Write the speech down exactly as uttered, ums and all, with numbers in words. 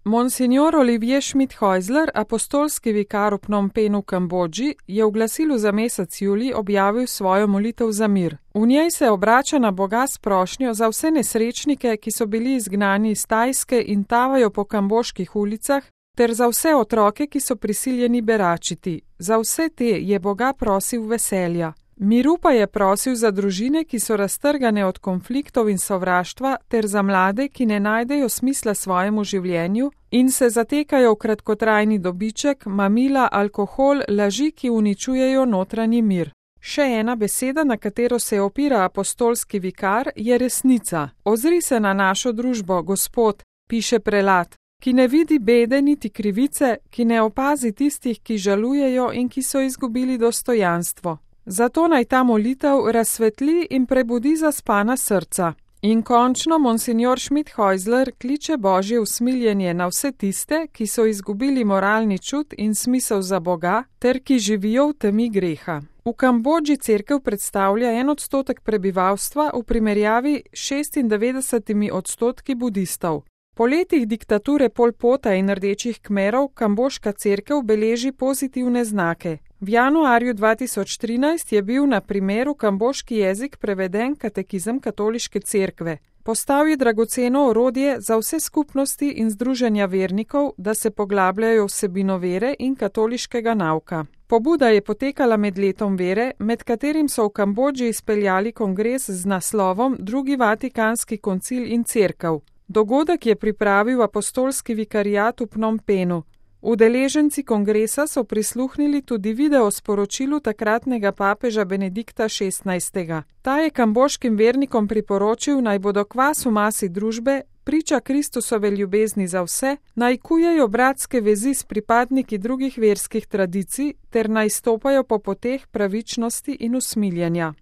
Monsignor Olivier Schmidt-Häusler, apostolski vikar v Phnom Penhu, Kambodži, je v glasilu za mesec julij objavil svojo molitev za mir. V njej se obrača na Boga s prošnjo za vse nesrečnike, ki so bili izgnani iz Tajske in tavajo po kamboških ulicah, ter za vse otroke, ki so prisiljeni beračiti. Za vse te je Boga prosil veselja. Miru pa je prosil za družine, ki so raztrgane od konfliktov in sovraštva, ter za mlade, ki ne najdejo smisla svojemu življenju in se zatekajo v kratkotrajni dobiček, mamila, alkohol, laži, ki uničujejo notranji mir. Še ena beseda, na katero se opira apostolski vikar, je resnica. Ozri se na našo družbo, Gospod, piše prelat, ki ne vidi bede niti krivice, ki ne opazi tistih, ki žalujejo in ki so izgubili dostojanstvo. Zato naj ta molitev razsvetli in prebudi zaspana srca. In končno monsignor Schmidt-Häusler kliče Božje usmiljenje na vse tiste, ki so izgubili moralni čut in smisel za Boga, ter ki živijo v temi greha. V Kambodži cerkev predstavlja en odstotek prebivalstva v primerjavi s šestindevetdesetimi odstotki budistov. Po letih diktature Pol Pota in rdečih kmerov kamboška cerkev beleži pozitivne znake. V januarju dva tisoč trinajst je bil na primer v kamboški jezik preveden katekizem katoliške cerkve. Postal je dragoceno orodje za vse skupnosti in združenja vernikov, da se poglabljajo vsebino vere in katoliškega nauka. Pobuda je potekala med letom vere, med katerim so v Kambodži izpeljali kongres z naslovom Drugi Vatikanski koncil in cerkev. Dogodek je pripravil apostolski vikariat v Phnom Penhu. Udeleženci kongresa so prisluhnili tudi video sporočilu takratnega papeža Benedikta šestnajstega. Ta je kamboškim vernikom priporočil, naj bodo kvas v masi družbe, priča Kristusove ljubezni za vse, naj kujejo bratske vezi s pripadniki drugih verskih tradicij ter naj stopajo po poteh pravičnosti in usmiljenja.